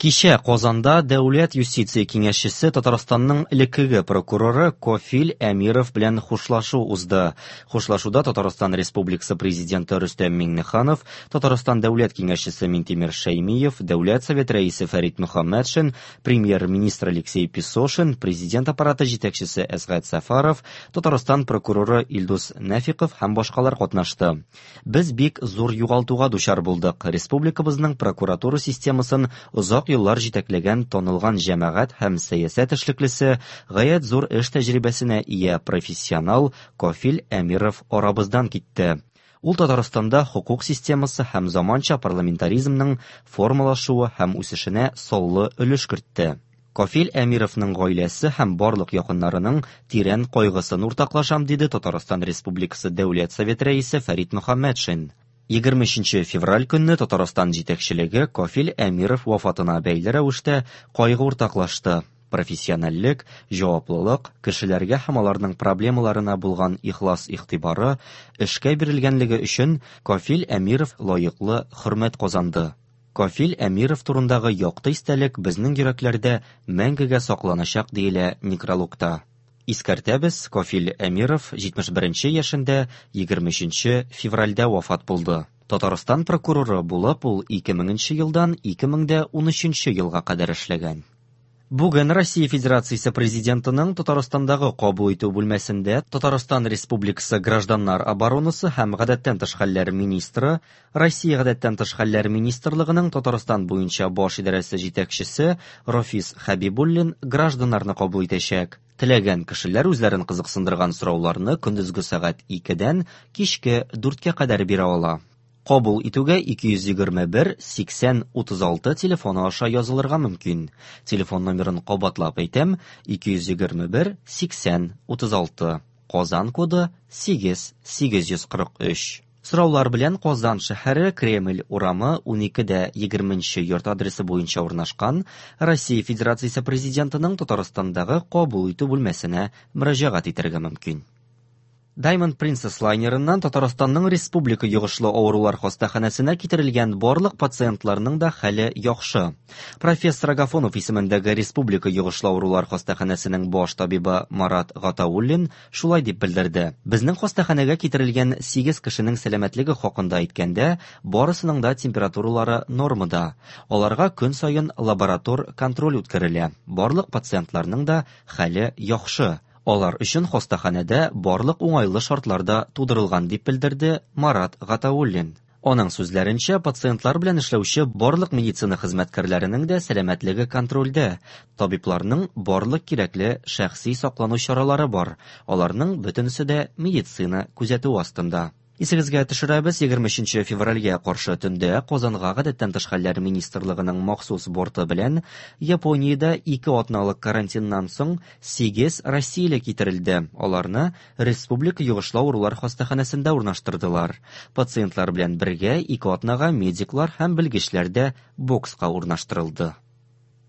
Кичә Казанда Дәүләт юстиция киңәшчесе Татарстанның элеккеге прокуроры Кофил Әмиров белән хушлашу узды. Хушлашуда Татарстан Республикасы Президенты Рөстәм Миңнеханов, Татарстан Дәүләт киңәшчесе Минтимер Шәймиев, Дәүләт Совет рәисе Фәрит Мөхәммәтшин, Премьер-министр Алексей Песошин, Президент аппараты җитәкчесе Әсгать Сәфәров, Татарстан прокуроры Илдус Нәфиков һәм башкалар катнашты. Без бик зур югалтуга дучар булдык. Республикабызның прокуратура системасын озак еллар җитәкләгән танылган җәмәгать һәм сәясәт эшлеклесе, гаять зур эш тәҗрибәсенә ия профессионал Кафил Әмиров арабыздан китте. Ул Татарстанда хокук системасы һәм заманча парламентаризмның формалашуы һәм үсешенә саллы өлеш кертте. Кафил Әмировның гаиләсе һәм барлык якыннарының тирән кайгысын уртаклашам, диде Татарстан Республикасы Дәүләт Советы Рәисе Фәрит Мөхәммәтшин. 23 февраль көнне Татарстан җитәкчелеге Кафил Әмиров вафатына бәйле рәвештә кайгы уртаклашты. Профессиональлек, җаваплылык, кешеләргә һәм аларның проблемаларына булган ихлас игътибары, эшкә бирелгәнлеге өчен Кафил Әмиров лаеклы хөрмәт казанды. Кафил Әмиров турындагы якты истәлек безнең йөрәкләрдә мәңгегә сакланачак, диелә некрологта. Искәртәбез, Кафил Әмиров 71 нче яшендә 23 нче февральдә вафат булды. Татарстан прокуроры булып ул 2000 нче елдан 2013 нче елга кадәр эшләгән. Бүген Россия Федерациясе Президентының Татарстандагы кабул итү бүлмәсендә Татарстан Республикасы Гражданнар оборонасы һәм гадәттән тыш хәлләр министры, Россия Гадәттән тыш хәлләр министрлыгының Татарстан буенча баш идарәсе җитәкчесе Рафис Хәбибуллин гражданнарны кабул итәчәк. Теләгән кешеләр үзләрен кызыксындырган сорауларны көндезге сәгать икедән кичке дүрткә кадәр бирә ала. Кабул итүгә 221 80 36 телефоны аша язылырга мөмкин. Телефон номерын кабатлап әйтәм, 221 80 36. Казан коды 8 843. Сораулар белән Казан шәһәре Кремль урамы 12 дә 20 нче йорт адресы буенча урнашкан Россия Федерациясе Президентының Татарстандагы кабул итү бүлмәсенә мөрәҗәгать итәргә мөмкин. Diamond Princess лайнерыннан Татарстанның Республика йогышлы авырулар хастаханәсенә китерелгән барлык пациентларның да хәле яхшы. Профессор Агафонов исемендәге Республика йогышлы авырулар хастаханәсенең баш табибы Марат Гатауллин шулай дип белдерде. Безнең хастаханәгә китерелгән 8 кешенең сәламәтлеге хакында әйткәндә, барысының да температуралары нормада. Аларга көн саен лаборатор контроль үткәрелә. Барлык пациентларның да хәле яхшы. Алар өчен хастаханәдә барлык уңайлы шартлар да тудырылган, дип белдерде Марат Гатауллин. Аның сүзләренчә, пациентлар белән эшләүче барлык медицина хезмәткәрләренең дә сәламәтлеге контрольдә. Табибларның барлык кирәкле шәхси саклану чаралары бар, аларның бөтенесе дә медицина күзәтүе астында. Исегезгә төшерәбез, 23 нче февральгә каршы төндә Казанга Гадәттән тыш хәлләр министрлыгының махсус борты белән Япониядә ике атналык карантиннан соң сигез россияле китерелде. Аларны Республика йогышлы авырулар хастаханәсендә урнаштырдылар. Пациентлар белән бергә ике атнага медиклар һәм белгечләр дә бокска урнаштырылды.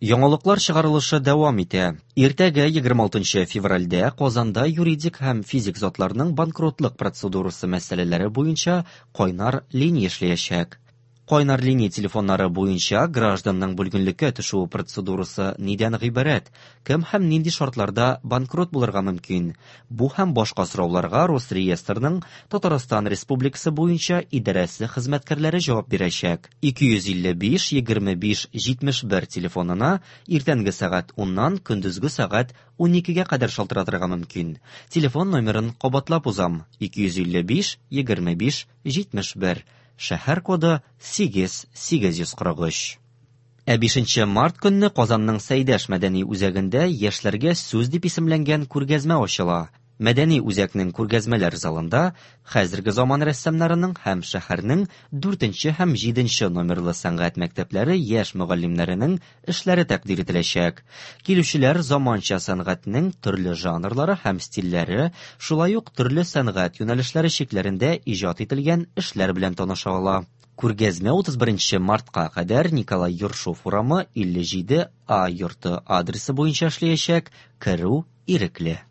Яңалыклар чыгарылышы дәвам итә. Иртәгә, 26 февральдә, Казанда юридик һәм физик затларның банкротлык процедурасы мәсьәләләре буенча кайнар линия эшләячәк. Кайнар линия телефоннары буенча гражданның бүлгенлеккә төшүе процедурасы нидән гыйбарәт, кем һәм нинди шартларда банкрот булырга мөмкин? Бу һәм башка сорауларга Росреестрның Татарстан Республикасы буенча идарәсе хезмәткәрләре җавап бирәчәк. 255 25 71 телефонына иртәнге сәгать уннан көндезге сәгать уникегә кадәр шалтыратырга мөмкин. Телефон номерын кабатлап узам, 255 25 71, шәһәр коды 8 843. Ә бишенче март көнне Казанның Сәйдәш мәдәни үзәгендә Яшьләргә сүз дип исемләнгән күргәзмә ачыла. Мәдәни үзәкнең күргәзмәләр залында хәзерге заман рәссамнарының һәм шәһәрнең дүртенче һәм җиденче номерлы сәнгать мәктәпләре яшь мөгаллимнәренең эшләре тәкъдир ителәчәк. Килүчеләр заманча сәнгатьнең төрле жанрлары һәм стильләре, шулай ук төрле сәнгать юнәлешләре чикләрендә иҗат ителгән эшләр белән таныша ала. Күргәзмә 31 нче мартка кадәр Николай Ершов урамы, 57 А йорты адресы буенча эшләячәк, керү ирекле.